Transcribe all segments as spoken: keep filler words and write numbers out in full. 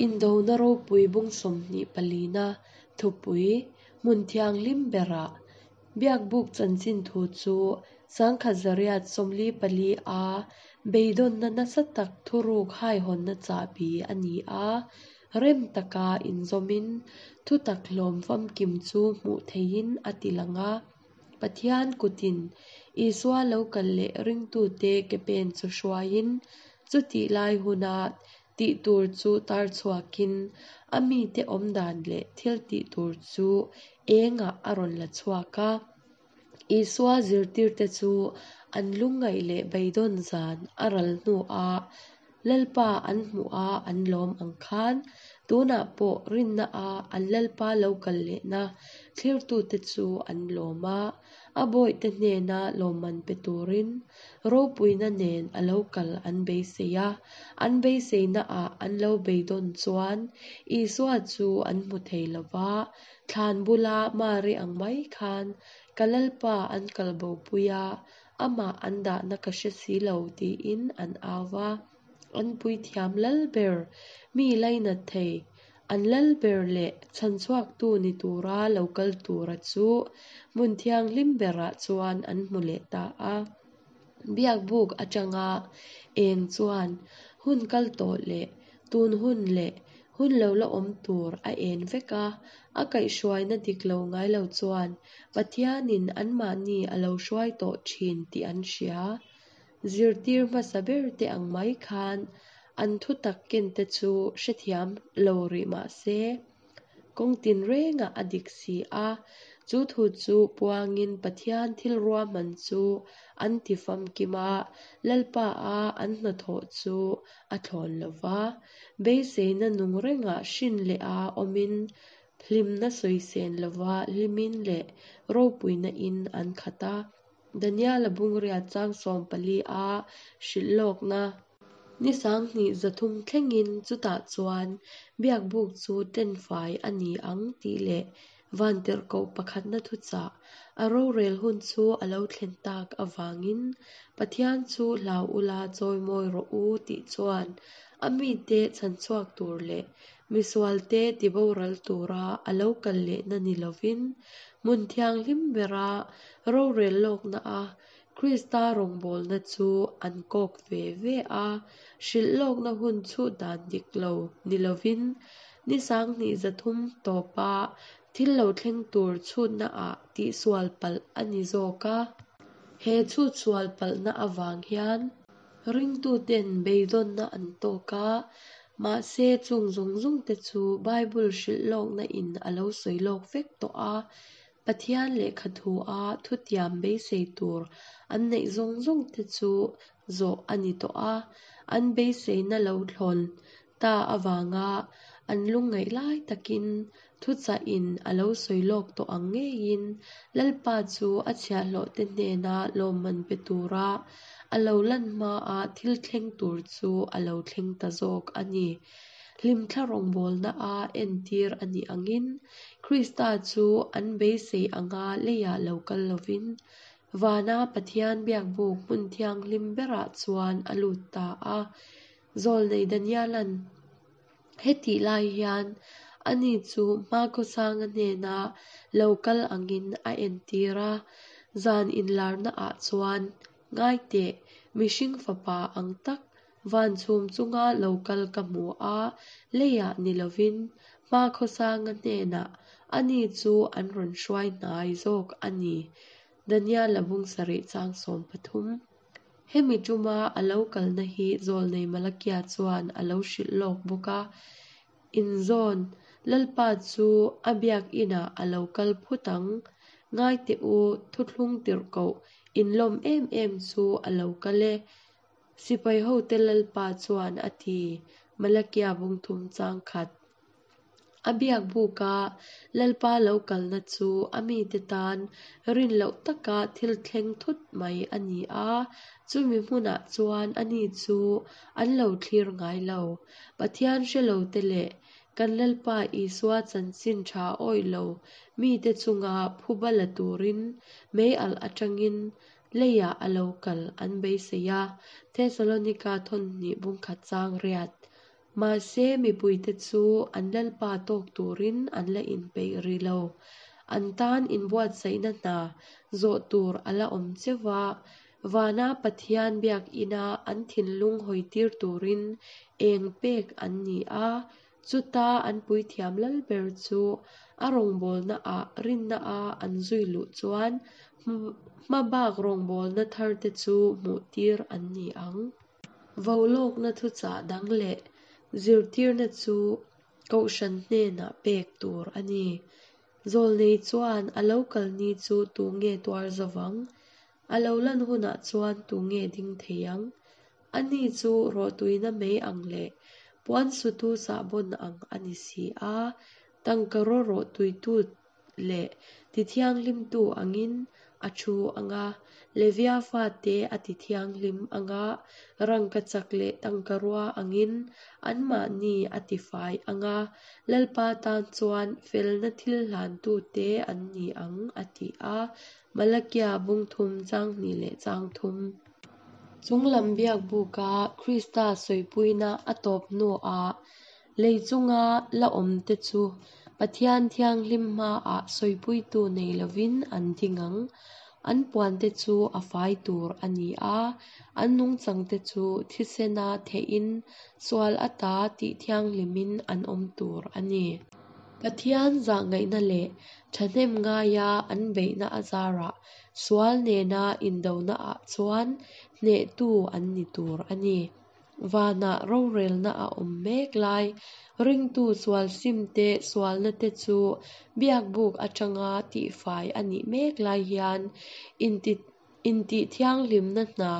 Indona ropui bung sawmhnih palina thupui hmun thianghlim berah Biakbuk chanchin thu chu sangkhat zariat sawmli pali a beidawnna nasa tak thuruk haihawnna chahbi a ni a, rem taka inzawmin thutak hlawm famkim chu hmuh theihin a tilang a. Pathian kutin Isua lo kal leh ringtute ke pen chu hruaiin, chutih lai huna tih tur chu tar chhuakin, a mite awmdan leh thil tih tur chu engah a rawn la chhuak a. Isua zirtirte chu an lungngaih leh beidawn zan a ral hnuah Lalpa an hmuh a an lawm ang khan, tunah pawh rinna a an Lalpa lo kal lehna thlirtute chu an lawm a, a bawihte hnena lawmman pe turin ropuina nen a lo kal an beisei a, an beiseinaah an lo beidawn chuan Isua chu an hmu thei lo va, thlan bula Mari ang mai khan ka Lalpa an kal bopui a, amah an dahna ka hre si lo tiin an au va. An puithiam lal ber, mi lainat thei, an lal ber leh chhanchhuaktu ni tura lo kal tura chu hmun thianghlim berah chuan an hmu leh ta a. Biakbuk atanga eng chuan hun kal tawh leh tun hun leh hun lo la awm tur a en vek a, a kaihhruaina dik lo ngai lo chuan Pathianin anmahni a lo hruai tawh thin tih an hria. Zirtir hmasa ber te ang mai khan an thutak ken te chu hrethiam lo rih mah se, kawng tinrengah a dik si a, chu thu chu puangin Pathian thil ruahman chu an ti famkim a, Lalpa a an hnathawh chu a thlawn lo va, beiseina nung rengah hrin leh a awmin hlimna sawisen lova hlimin leh ropuina in an khat a. Daniel-a bungriat chang sawm pali a hrilh lawkna. Ni sanghnih zathum thlengin chutah chuan biakbuk chu tenfai a ni ang tih leh vantirhkoh pakhatna thuchah a rorel hun chu a lo thlen tak avangin Pathian chu hlau ula chawimawi rawh u tih chuan a mite chhanchhuak tur leh misualte tiboral tura a lo kal lehna ni lovin hmun thianghlim bera rorel lawkna a Krista rawngbawlna chu an kawk ve ve a, hrilh lawkna hun chhut dan dik lo ni lovin ni sanghnih zathum tawpa thil lo thleng tur chhutnaah tihsual palh a ni zawk a. He chhutsual palhna avang hian ringtuten beidawnna an tawk a, mahse chung zawng zawng te chu Bible hrilh lawkna in a lo sawi lawk vek tawh a, Pathian lehkha thu a thutiam beisei tur an neih zawng zawng te chu zawh a ni tawh a, an beiseina lo thlawn ta avanga an lungngaih lai takin thuchah in a lo sawi lawk tawh ang ngeiin Lalpa chu a chhiahhlawh te hnena lawmman pe tura a lo lan hmaa thil thleng tur chu a lo thleng ta zawk a ni. Hlimthla rawngbawlna a entir a nih angin Krista chu an beisei anga leiah lo kal lovin vana Pathian biakbuk hmun thianghlim berah chuan a lut ta a. Zawlnei Daniel-a'n hetih lai hian ani chu hmakhawsanga hnena lo kal angin a entir a, zan inlarnaah chuan ngaiteh mihring fapa ang tak van chhum chunga lo kal ka hmu a, leiah ni lovin hmakhawsanga hnenah ani chu an rawn hruai hnai zawk a ni. Daniel-a bung sarih chang sawm pathum. Hemi tuma a lo kalna hi Zawlnei Malakia chuan a lo hrilh lawk bawk a, inzawn Lalpa chu a biak inah a lo kal phut ang. Ngaiteh u, thuthlung tirhkoh inlawm em em chu a lo kal e. Sipai hote Lalpa chuan a ti, Malakia bung thum chang khat. A biakbuk a Lalpa lo kalna chu a mite tan rin loh taka thil thleng thut mai a ni a, chumi hmunah chuan ani chu an lo thlir ngai lo. Pathian hre lo te leh kan Lalpa Isua chanchin tha awih lo mite chunga phuba la turin mei alh atangin leiah a lo kal an beisei a, Thesalonika thawn hnih bung khat chang riat. Mahse, mipuite chu an Lalpa tawk turin an la inpeih rih lo. An tan inbuatsaihna hna zawh tur a la awm cheu va, vana Pathian biakina an thinlung hawitir turin eng pek an ni a, chuta an puithiam lalber chu a rawngbawlnaah rinna-a an zui luh chuan hmabak rawngbawlna tharte chu hmuhtir an ni ang. Vaulawkna thuchah dang leh zirtirna chu kohhran hnenah pek tur a ni. Zawlnei chuan a lo kal ni chu tu nge tuar zavang? A lo lan hunah chuan tu nge ding thei ang? Ani chu rawhtuina mai ang leh puan sutu sahbawn ang a ni si a, tangkaraw rawhtuitu leh tithianghlimtu angin a thu ang a, Levia fate a tithianghlim ang a, rangkachak leh tangkarua angin anmahni a tifai ang a, Lalpa tan chuan felna thil hlantute an ni ang, a ti a. Malakia bung thum chang hnih leh chang thum. Chunglam biakbuka Krista sawipuina a tawp hnuah lei chunga la awmte chu Pathian thianghlim hmaah sawipuitu nei lovin an ding ang. An puante chu a fai tur a ni a, an nungchangte chu thisena thehin sual ata tih thianghlimin an awm tur a ni. Pathian zahngaihna leh thahnem ngaia an beihna azarah sual nena indonaah chuan hnehtu an ni tur a ni. Vanah rorelna a awm mek lai, ringtu sual simte sualna te chu biakbuk atanga tihfai a nih mek lai hian intihthianghlimna hna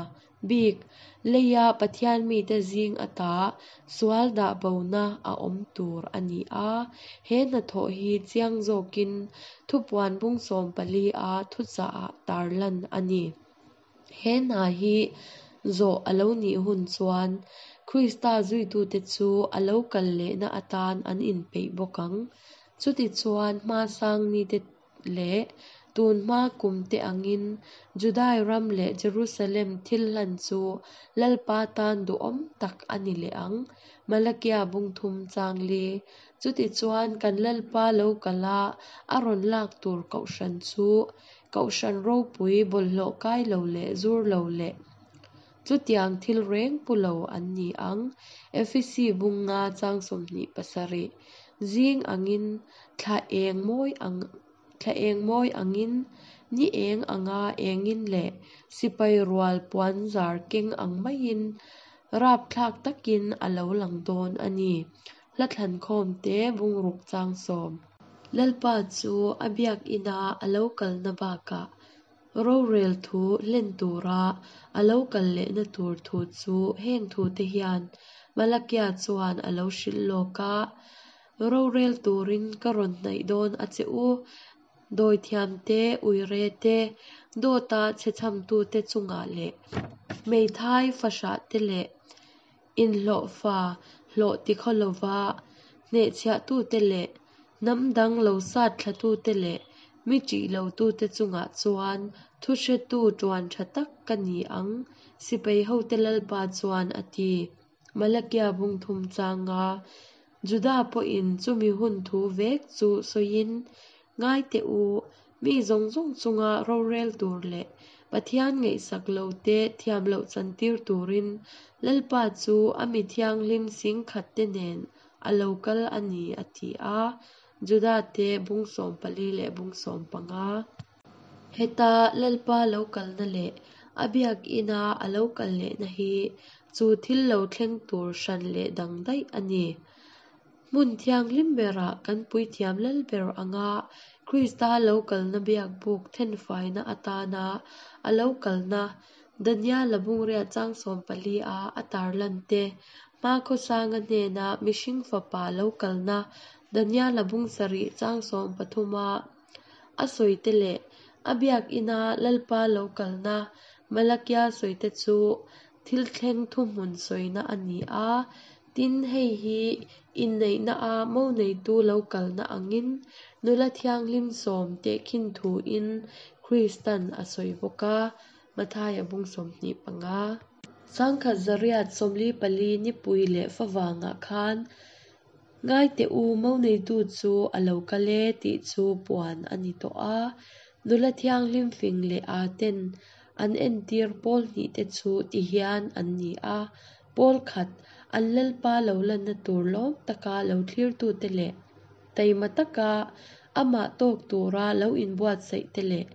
bik leia Pathian mite zing ata sual dah bona a awm tur a ni a. He hnathawh hi chiang zawkin thupuan bung sawm pali a thuchahah tarlan a ni. He hna hi zawh a lo nih hun chuan Krista zuitute chu a lo kal lehna atan an inpeih bawk ang. Chutichuan hmasang nite leh tunhma kumte angin Judai ram leh Jerusalem thil hlan chu Lalpa tan duhawm tak a ni leh ang. Malakia bung thum chang li. Chutichuan kan Lalpa lo kala a rawn lak tur kohhran chu kohhran ropui bawlhhlawh kai lo leh zur lo leh chutiang thil reng pu lo an ni ang. Efesi bung nga chang sawmhnih pasarih. Zing angin thla eng mawi ang thla eng mawi angin ni eng anga engin leh sipai rual puan zar keng ang maiin rapthlak takin a lo lang dawn a ni. Hla thlan khawm te bungruk chang sawm. Lalpa chu a biakina a lo kalna bakah rorel thu hlen tura a lo kal lehna tur thu chu heng thu te hian Malakia chuan a lo hrilh lawk a. Rorel turin ka rawn hnaih dawn a che u. Dawithiam te, uire te, dawta chhechhamtute chungah leh hmeithai fahrah te leh inhlawhfa hlawh tikhaw lova hnehchhiahtute leh hnam dang lo sat thlatute leh mi ṭih lotute chungah chuan thuhretu ṭuan ṭha tak ka ni ang, sipai hote Lalpa chuan a ti. Malakia bung thum changa Juda pawhin chumi hun thu vek chu sawiin, ngai teh u, mi zawng zawng chunga rorel tur leh Pathian ngaihsak lo te thiam loh chantir turin Lalpa chu a mi thianghlim singkhat te nen a lo kal a ni a ti a. Juda te bung sawm pali leh bung sawm panga. Heta Lalpa lo kalna leh a biakina a lo kal lehna hi chu thil lo thleng tur hran leh dang daih a ni. Hmun thianghlim berah kan puithiam lalber anga Krista lo kalna biakbuk thenfaina atana a lo kalna Daniela bungriat chang sawm pali a a tarlan te hmakhawsanga hnena mihring fapa lo kalna Daniela bung sarih chang sawm pathuma a sawite leh a biakina Lalpa lo kalna Malakia sawite chu thil thleng thuhmun sawina a ni a. Tin, hei hi inneihna a mo neitu lo kalna angin nula thianghlim sawm tehkhin thuin Kristan a sawi bawk a. Mathaia bung sawmhnih panga. Sangkhat zariat sawmli pali nipui leh favangah khan Ngai teh u, mo neitu chu a lo kal e tih chu puan a ni tawh a. Nula thianghlim fing leh â ten an entir pawl hnihte chu tihian an ni a. Pawl khat, an Lalpa lo lanna tur lawm taka lo thlirtute leh taima taka amah tawk tura lo inbuatsaihte leh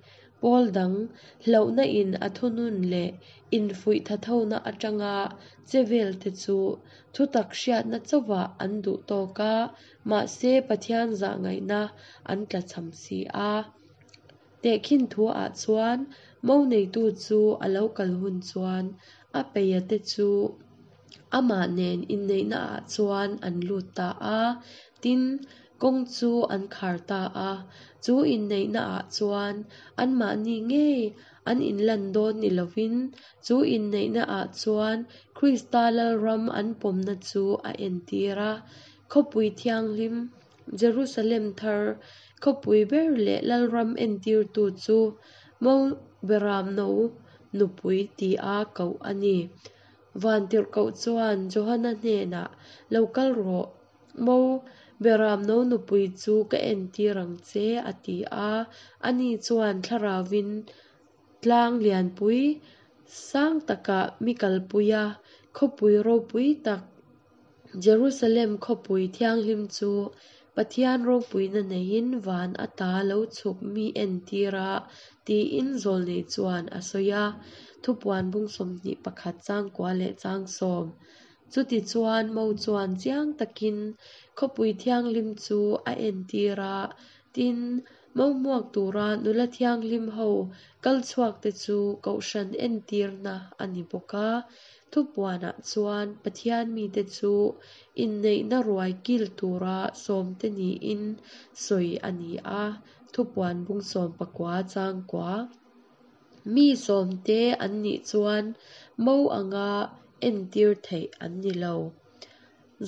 pawl dang, hlauhna in a thunun leh infuih thathona atanga che velte chu thutak hriatna chauhvah an duh tawk a, mahse Pathian zahngaihna an tlachham si a. Tehkhin thuah chuan mo neitu chu a lo kal hun chuan a peia te chu amah nen inneihnaah chuan an lut ta a, tin, kawng chu an khar ta a. Chu inneihnaah chuan anmahni ngei an inlan dawn ni lovin, chu inneihnaah chuan Krista Lalram an pawmna chu a entir a. Khawpui thianghlim, Jerusalem thar, khawpui ber leh Lalram entirtu chu Mo Beramno nupui tia koh a ni. Vantirhkoh chuan Johana hnenah, Lo kal rawh, Mo Beramno nupui chu ka entir ang che, a ti a. Ani chuan Thlarauvin tlang lianpui sang takah mi kalpui a, khawpui ropui tak, Jerusalem khawpui thianghlim chu Pathian ropuina neiin van ata lo chhuk mi entir a, tiin zawlnei chuan a sawi a. Thupuan bung sawmhnih pakhat changkua leh chang sawm. Chutichuan mo chuan chiang takin khawpui thianghlim chu a entir a, tin, mo hmuak tura nula thianghlim ho kal chhuakte chu kohhran entirna a ni bawk a. Thupuanah chuan Pathian mite chu inneihna ruai kil tura sawmte niin sawi a ni a, Thupuan bung sawm pakua changkua. Mi sawmte an nih chuan mo anga entir theih an ni lo.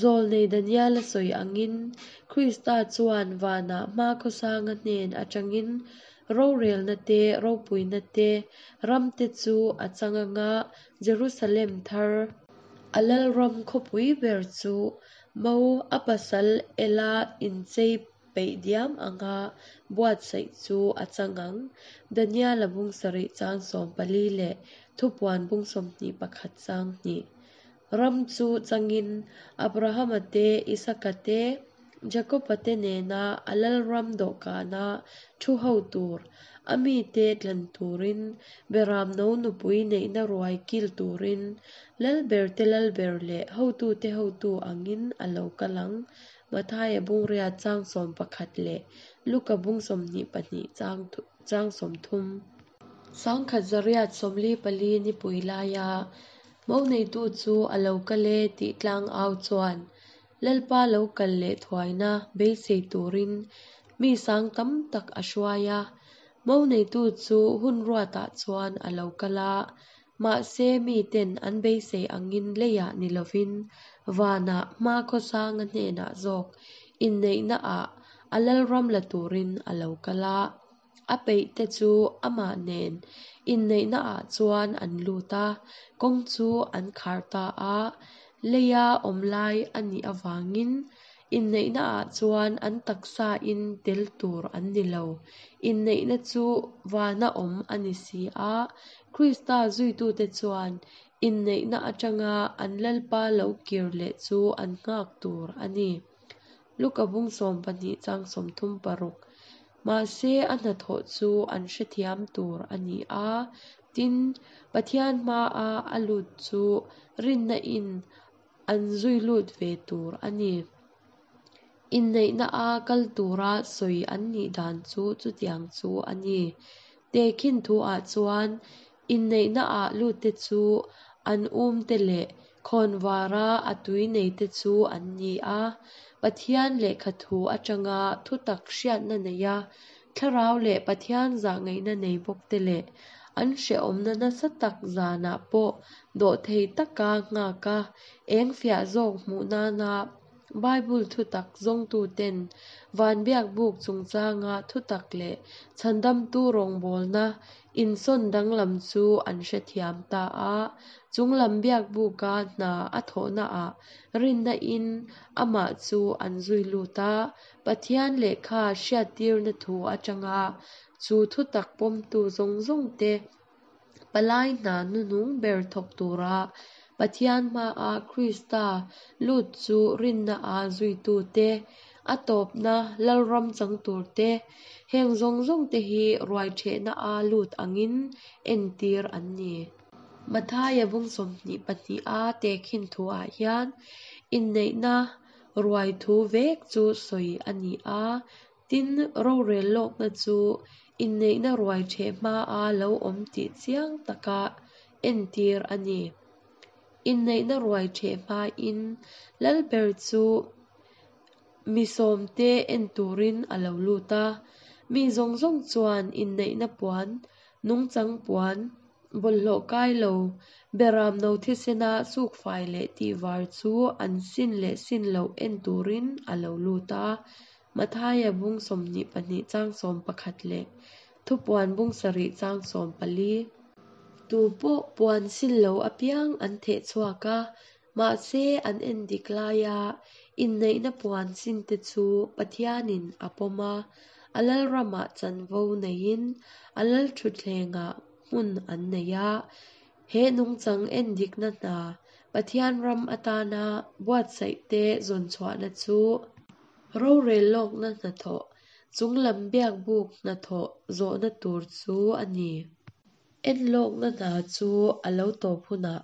Zawlnei Daniela sawi angin Krista chuan vanah hmakhawsanga hnen atangin rorelna te, ropuina te, ramte chu a chang anga Jerusalem thar, a Lalram khawpui ber chu mo a pasal ela inchei peih diam anga buatsaih chu a chang ang. Daniela bung sarih chang sawm pali leh Thupuan bung sawmhnih pakhat chang hnih. Ram chu changin Abrahama te, Isaka te, Jakoba te nena a Lalram dawhkana thu ho tur, a mite tlan turin, Beramno nupui neihna ruai kil turin, Lalberte Lalber leh hotute hotu angin a lo kal ang. Mathaia bung riat chang sawm pakhat leh Luka bung sawmhnih pahnih chang sawmthum. Sangkhat zariat sawmli pali nipui laia mo neitu chu a lo kal e tih tlang au chuan Lalpa lo kal leh thuaina beisei turin mi sang tam tak a hruai a. Mo neitu chu hun ruatah chuan a lo kal a, mahse miten an beisei angin leiah ni lovin vanah hmakhawsanga hnenah zawk inneihnaah a Lalram la turin a lo kal a. A peihte chu amah nen inneihnaah chuan an lut a, kawng chu an khar ta a. Leia awm lai a nih avangin inneihnaah chuan an taksain tel tur an ni lo. Inneihna chu vana awm a ni si a, Krista zuitute chuan inneihna atanga an Lalpa lo kir leh chu an nghak tur a ni. Luka bung sawm pahnih chang sawmthum paruk. Mahse a hnathawh chu an hrethiam tur a ni a, tin, Pathian hmaa a lut chu rinna in an zui lut ve tur a ni. Inneihna a kal tura sawi an nih dan chu chutiang chu a ni. Tehkhin thuah chuan inneihna ah lutte chu an umte leh khawnvara a tui neite chu an ni a. Pathian lehkha thu atanga thutak hriatna nei a, thlarau leh Pathian zahngaihna nei bawkte leh an hrehawmna nasa tak zanah pawh dawhthei taka nghak a, eng fiah zawk hmuh nana Bible thutak zawngtuten van biakbuk chungchanga thutak leh chhandamtu rawngbawlna Insawn danglam chu an hrethiam ta a. Chunglam biakbuka hna a thawhnaah rinna-in amah chu an zui lut a. Pathian lehkha hriattirna thu atanga chu thutak pawmtu zawng zawngte palai hna hnuhnung ber thawk tura Pathian hmaa Krista lut chu rinna-a zuitute, a tawpna lalram chang turte, heng zawng zawngte hi ruaiṭhehna-a lut angin entir an ni. Mathaia bung sawmhnih pahniha tehkhin thuah hian inneihna ruai thu vek chu sawi a ni a. Tin, rorel lawkna chu inneihna ruai ṭheh hmaa lo awm tih chiang taka entir a ni. Inneihna ruai ṭheh hmain lalber chu mi sawmte en turin a lo lut a. Mi zawng zawng chuan inneihna puan, nungchang puan, bawlhhlawh kai lo, beram no thisena sukfai leh tihvar chu an sin leh sin loh en turin a lo lut a. Mathaia bung sawmhnih pahnih chang sawm pakhat leh Thupuan bung sarih chang sawm pali. Tu pawh puan sin lo apiang an theh chhuak a, mahse an en dik laia inneihna puan sinte chu Pathianin a pawm a, a lalramah chanvo neiin a lalthutthlengah hmun an nei a. He nungchang en dikna hna Pathian ram atana buatsaihte zawn chhuahna chu rorel lawkna hnathawh, chunglam biakbuk hnathawh zawhna tur chu a ni. En lawkna hna chu a lo tawp hunah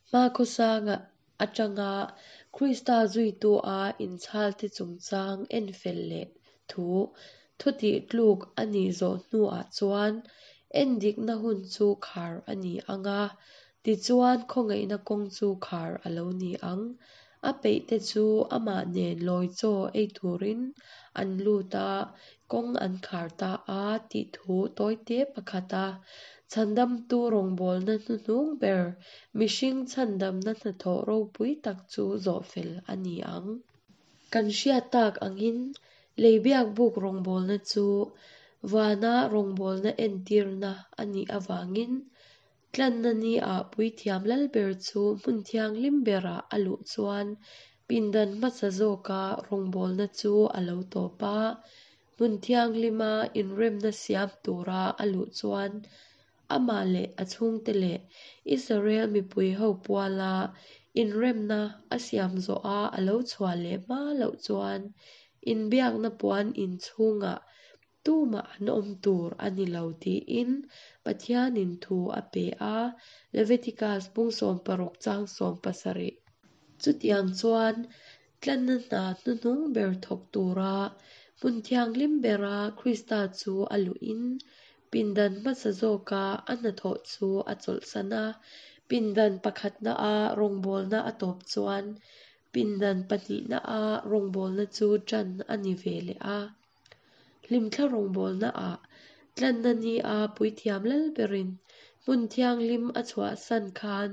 hmakhawsanga atanga Krista zuitu-a inchhalte chungchang en fel leh thu thutih tluk a nih zawh hnuah chuan en dikna hun chu khar a ni ang a, tichuan khawngaihna kawng chu khar a lo ni ang. A peihte chu amah nen lawi chaw ei turin an lut a, kawng an khar ta a tih thu tawite pakhata chhandamtu rawngbawlna hnuhnung ber mihring chhandamna hnathawh ropui tak chu zawh fel a ni ang. Kan hriat tak angin lei biakbuk rawngbawlna chu vana rawngbawlna entirna a nih avangin tlanna ni-ah puithiam lalber chu hmun thianghlim berah a luh chuan pindan hmasa zawka rawngbawlna chu a lo tawp a. Hmun thianghlima inremna siam tura a luh chuan amah leh a chhungte leh Israel mipui ho puala inremna a siam zawha a lo chhuah leh hma loh chuan inbiakna puan in chhungah tumah an awm tur a ni lo tiin Pathianin thu a pe a, Leviticus bung sawm paruk chang sawm pasarih. Chutiang chuan tlanna hna hnuhnung ber thawk tura hmun thianghlim bera Krista chu a luhin pindan hmasa zawka a hnathawh chu a chawlhsan a. Pindan pakhatna-a rawngbawlna a tawp chuan pindan pahnihna-a rawngbawlna chu ṭan a ni ve leh a. Hlimthla rawngbawlnaah tlanna ni-a puithiam lalberin hmun thianghlim a chhuahsan khan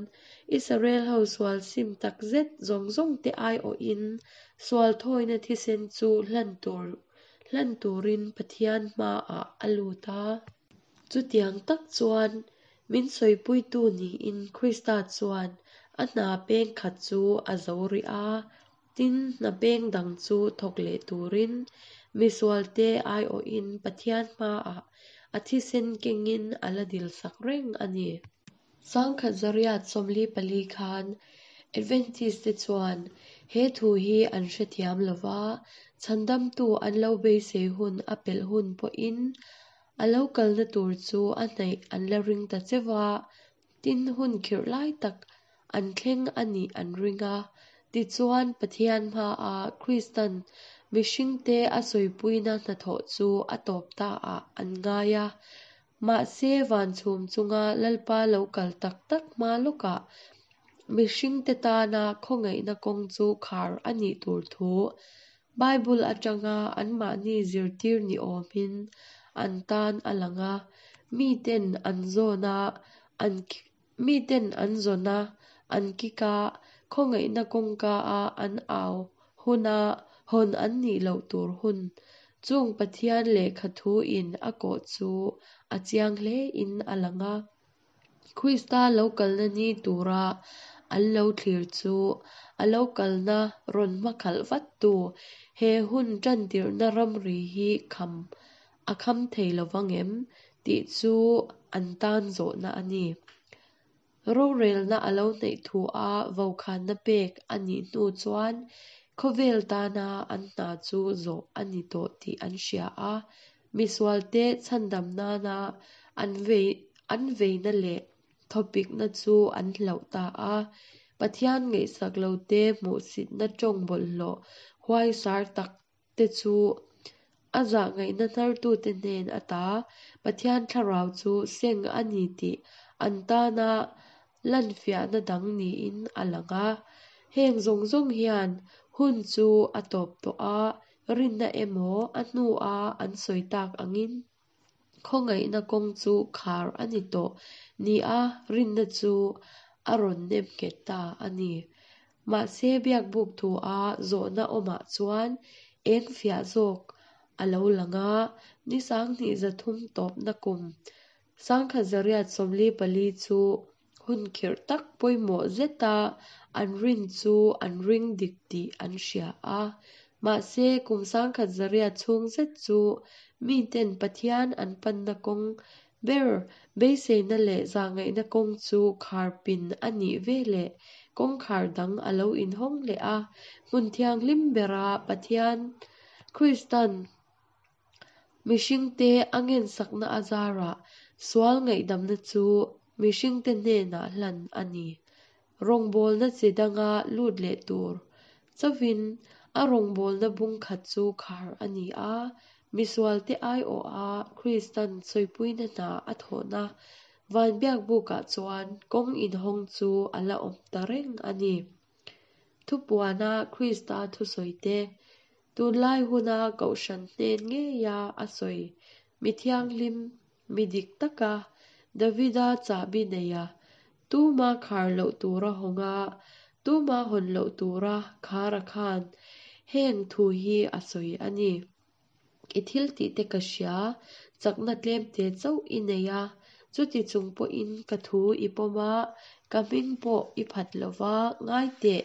Israel ho sual sim tak zet zawng zawngte aiawhin sual thawina thisen chu hlan tur hlan turin Pathian hmaah a lut a. Chutiang tak chuan min sawipuitu niin Krista chuan a hna peng khat chu a zo rih a, tin hna peng dang chu thawk leh turin misualte aiawhin Pathian hmaah a thisen kengin a la dilsak reng a ni. Sangkhat zariat sawmli pali khan Adventist te chuan he thu hi an hrethiam lova, chhandamtu an lo beisei hun a pelh hun pawhin a lo kalna tur chu a hnaih an la ring ta cheu a, tin hun khirh lai tak an thleng a nih an ring a. Tichuan Pathian hmaah Kristan mihringte a sawipuina hnathawh chu a tawp taah an ngai a. Mahse van chhum chunga Lalpa lo kal tak tak hma lawkah mihringte tana khawngaihna kawng chu khar a nih tur thu Bible atanga anmahni zirtir ni awmin an tan a lang a. Miten an zawn a, an miten an zawn a, an kik a, khawngaihna kawngka a an au huna hawn an nih loh tur hun Chung Pathian lehkha thuin a kawh chu a chiang hlein a lang a. Krista lo kalna ni tura an lo thlir chu a lo kalna rawn hmakhalh vattu he hun tantirhna ramri hi kham a kham thei lovang em tih chu an tan zawhna a ni. Rorelna a lo hnaih thu a vokhanna pek a nih hnu chuan khawvel tana an hna chu zawh a ni tawh tih an hria a. Misualte chhandam nana an vei an veina leh thawpikna chu an hloh ta a. Pathian ngaihsak lote hmuhsitna tawng bawlhhlawh huaisar tak te chu a zahngaihna hnartute hnen ata Pathian thlarau chu seng a ni tih an tana lanfiahna dang niin a lang a. Heng zawng zawng hian hun chu a tawp tawh a, rinna emaw a hnua an sawi tak angin khawngaihna kawng chu khar a ni tawh ni a rinna chu a rawn nem nghet ta a ni. Mahse biakbuk thu a zawhna awmah chuan eng fiah zawk a lo lang a, ni sanghnih zathum tawpna kum sangkhat zariat sawmli pali chu hun khirh tak pawimawh zeta an rin chu an ring dik tih an hria a. Mahse kum sangkhat zariat chhung zet chu miten Pathian an panna kawng ber beiseina leh zahngaihna kawng chu kharpin a nih veleh kawngkhar dang a lo inhawng leh a. Hmun thianghlim bera Pathian Kristan mihringte a ngensakna a zarah sual ngaihdamna chu mihringte hnenah hlan a ni. Rawngbawlna chi danga lut leh tur chauhin a rawngbawlna bung khat chu khar a ni a. Misualte aiawha Kristan sawipuina hna a thawhna van biakbukah chuan kawng inhawng chu a la awm ta reng a ni. Thupuana Krista thusawite tunlai huna kohhran hnen ngeia a sawi mi thianghlim mi dik taka Davida chahbi nei a tuma khar loh tura hawnga tuma hawn loh tura khar a khan heng thu hi a sawi a ni. I thil tih te ka hria chakna tlem te chauh i nei a chuti chung pawhin ka thu i pawm a ka hming pawh i phat lova ngai teh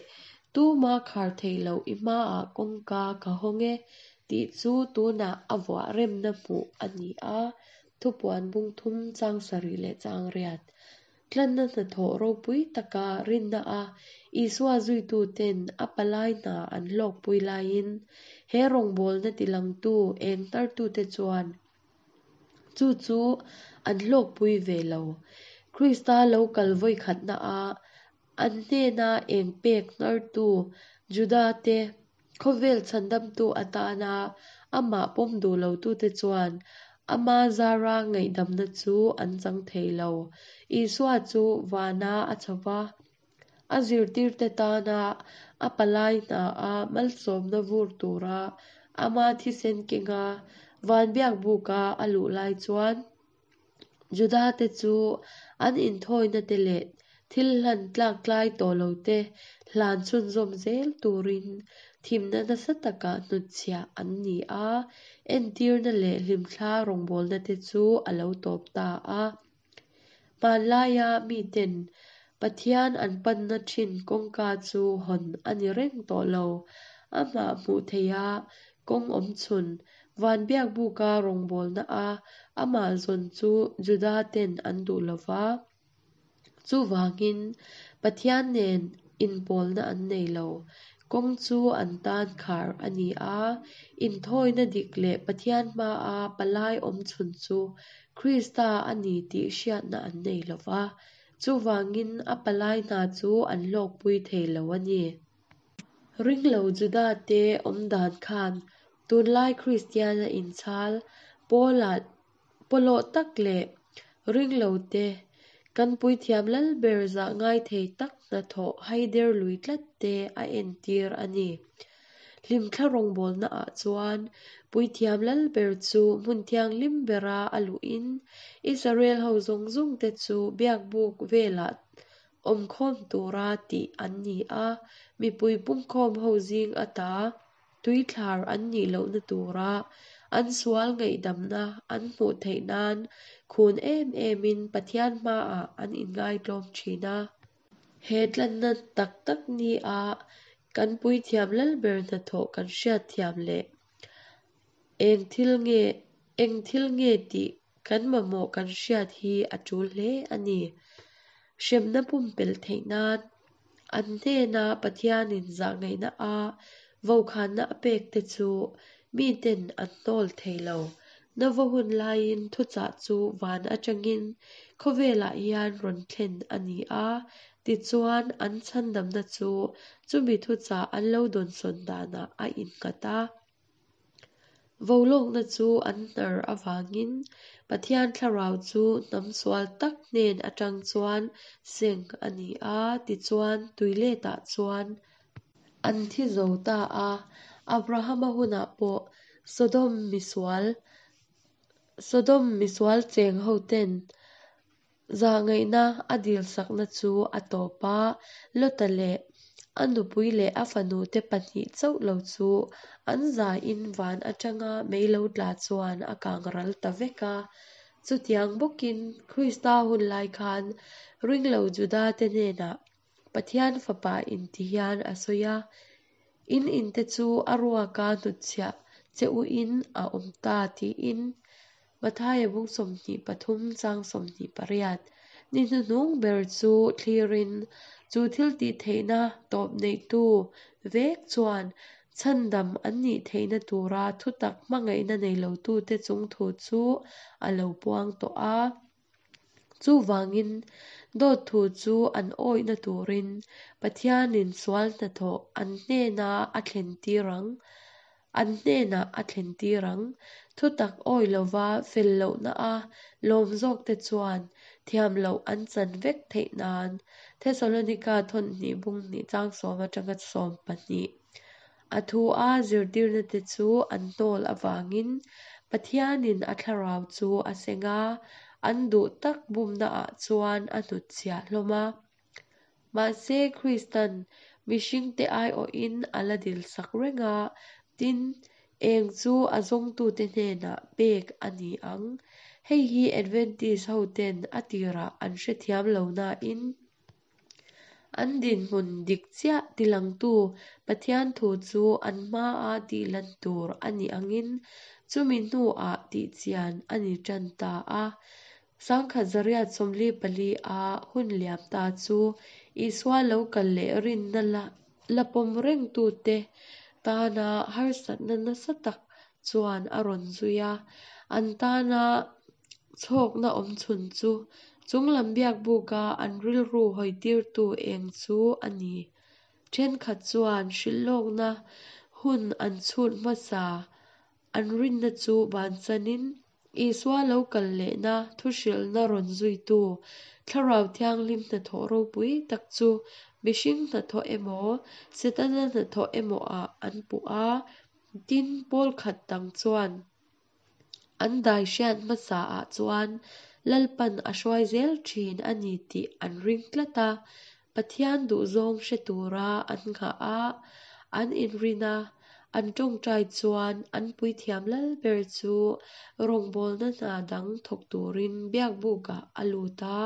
tuma khar thei lo i hmaah kawngka ka hawng e tih chu tunah a vuah remna hmuh a ni a. Thupuan bung thum chang sarih leh chang riat. Tlanna hnathawh ropui taka rinna a Isua zuituten a palai hna an hlawkpui laiin he rawngbawlna tilangtu eng hnartute chuan chu chu an hlawkpui ve lo. Krista lo kal vawi khatna a an hnena eng pek hnartu Juda te khawvel chhandamtu atana amah pawm duh lotute chuan ama zara ngaihdamna chu an chang thei lo. Isua chu vana a chhova a zirtirte tana a palai hna a malsawmna vur tura ama thisen kenga van biakbuka a luh lai chuan Juda te chu an inthawina te leh thil hlan tlak tlai tawh lo te hlan chhunzawm zel turin thimna nasa taka hnutchhiah an ni a. Entirna leh hlimthla rawngbawlna te chu a lo tawp ta a. Hmanlaia miten Pathian an panna thin kawngka chu hawn a ni reng tawh lo. Amah hmuh theiha kawng awm chhun van biakbuka rawngbawlna a amah zawn chu Juda ten an duh lova. Chuvangin Pathian nen inpawlna an nei lo. Kawng chu an tan khar a ni a. Inthawina dik leh Pathian hmaa palai awm chhun chu Krista a ni tih hriatna an nei lova. Chuvangin a palai hna chu an hlawkpui thei lo a ni. Ringlo Juda te awm dan khan tunlai Kristiana inchhal pawlah pawlawh tak leh ringlo te kan puithiam lal ber zah ngai thei tak hnathawh haider lui tlat te a entir a ni. Hlimthla rawngbawlna ah chuan puithiam lal ber chu hmun thianghlim bera a luhin Israel ho zawng zawng te chu biakbuk velah awmkhawm tura tih an ni a. Mipui pungkhawm ho zing ata tuithlar an nih lohna tura an sual ngaihdamna an hmuh theih nan khun em emin Pathian hmaah an inngaitlawm thin a. He tlanna tak tak ni a kan puithiam lalber hnathawh kan hriatthiam leh eng thil nge eng thil nge tih kan mamawh kan hriat hi a tul hle a ni. Hremna pumpelh theih nan an hnena Pathianin zahngaihna a vokhanna a pek te chu miten an hnawl thei lo. Nova hun laiin thuchah chu van atangin khawvelah hian rawn thlen a ni a, tichuan an chhandamna chu chumi thuchah an lo dawnsawn danah a innghat a. Volawkna chu an hnar avangin Pathian thlarau chu hnam sual tak hnen atang chuan seng a ni a, tichuan tuiletah chuan an thi zo ta a. Abrahama hunah pawh Sodom misual Sodom misual cheng hoten zahngaihna a dil sakna chu a tawp a, Lota leh a nupui leh a fanu te pahnih chauh lo chu an zain van atanga mei lo tla chuan a kang ral ta vek a. Chutiang bawkin Krista hun lai khan ringlo Juda te hnenah Pathian fapa inti hian a sawi a, in inte chu a ruaka hnutchhiah che u in a awm ta tiin Mathaia bung sawmhnih pathum chang sawmhnih pariat ni hnuhnung ber chu thlirin chu thil tih theihna tawp neihtu vek chuan chhandam an nih theihna tura thutak hmangaihna nei lotute chung thu chu a lo puang tawh a. Chuvangin dawt thu chu an awihna turin Pathianin sual hnathawh an hnena a thlen tir ang. An hnenah a thlen tir ang. Thutak awi lova fel lohna a lawm zawk te chuan thiam loh an chan vek theih nan Thessalonika thawn hnih bung hnih chang sawm atanga sawm pahnih. A thu a zirtirna te chu an hnawl avangin Pathianin a thlarau chu a seng a, an duh tak bumna ah chuan a hnutchhiah hlawm a. Mahse Kristan mihringte aiawhin a la dil sak reng a, tin eng chu a zawngtute hnenah pek a ni ang. Hei hi Adventist hoten a tirah an hrethiam lo nain an dinhmun dik chiah tilangtu Pathian thu chu an hmaa tihlan tur a nih angin chumi hnuah tihchian a ni tan ta a. Sangkhat zariat sawmli pali a hun liam ta chu Isua lo kal leh rinna la la pawm rengtute tana harsatna nasa tak chuan a rawn zui a. An tana chhawkna awm chhun chu chunglam biakbuka an rilru hawitirtu eng chu a ni. Thenkhat chuan hrilhlawkna hun an chhut hmasa an rinna chu bansanin Isua lo kal lehna thuhrilhna rawn zuitu thlarau thianghlim hnathawh ropui tak chu mihring hnathawh emaw Setana hnathawh emaw ah an puh a, tin pawl khat dang chuan an dai hriat hmasa ah chuan Lalpan a hruai zel thin a ni tih an ring tlat a, Pathian duhzawng hre tura an nghah a, an inrin a, an tawngtai chuan an puithiam lalber chu rawngbawlna hna dang thawk turin biakbukah a lut a,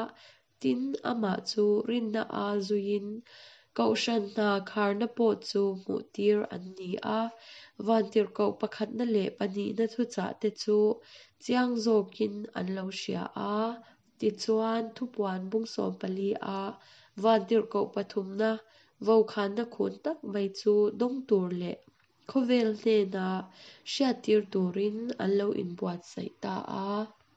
tin amah chu rinna a zuiin kohhran hna kharna pawh chu hmuh tir an ni a. Vantirhkoh pakhatna leh pahnihna thuchah te chu chiang zawkin an lo hria a, tichuan thupuan bung sawm pali a vantirhkoh pathumna vokhanna khun tak mai chu dawng tur leh khawvel hnena hriattir turin an lo inbuatsaih ta a.